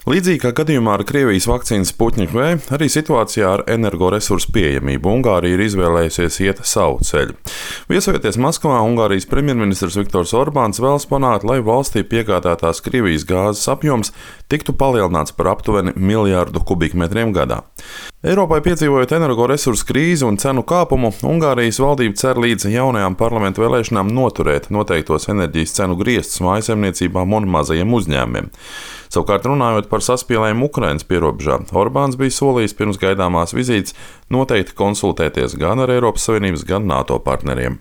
Līdzīgi kā gadījumā ar Krievijas vakcīnas Sputnik V, arī situācijā ar energoresursu pieejamību Ungārija ir izvēlējusies iet savu ceļu. Viesojoties Maskavā, Ungārijas premjerministrs Viktors Orbāns vēlas panākt, lai valstī piegādātās Krievijas gāzes apjoms tiktu palielināts par aptuveni 1 miljārdu kubikmetriem gadā. Eiropai piedzīvojot energoresursu krīzi un cenu kāpumu, Ungārijas valdība cer līdz jaunajām parlamentu vēlēšanām noturēt noteiktos enerģijas cenu griestus mājasemniecībām un mazajiem uzņēmumiem. Savukārt, runājot par saspīlējumu Ukrainas pierobežā, Orbāns bija solījis pirms gaidāmās vizītes noteikti konsultēties gan ar Eiropas Savienības, gan NATO partneriem.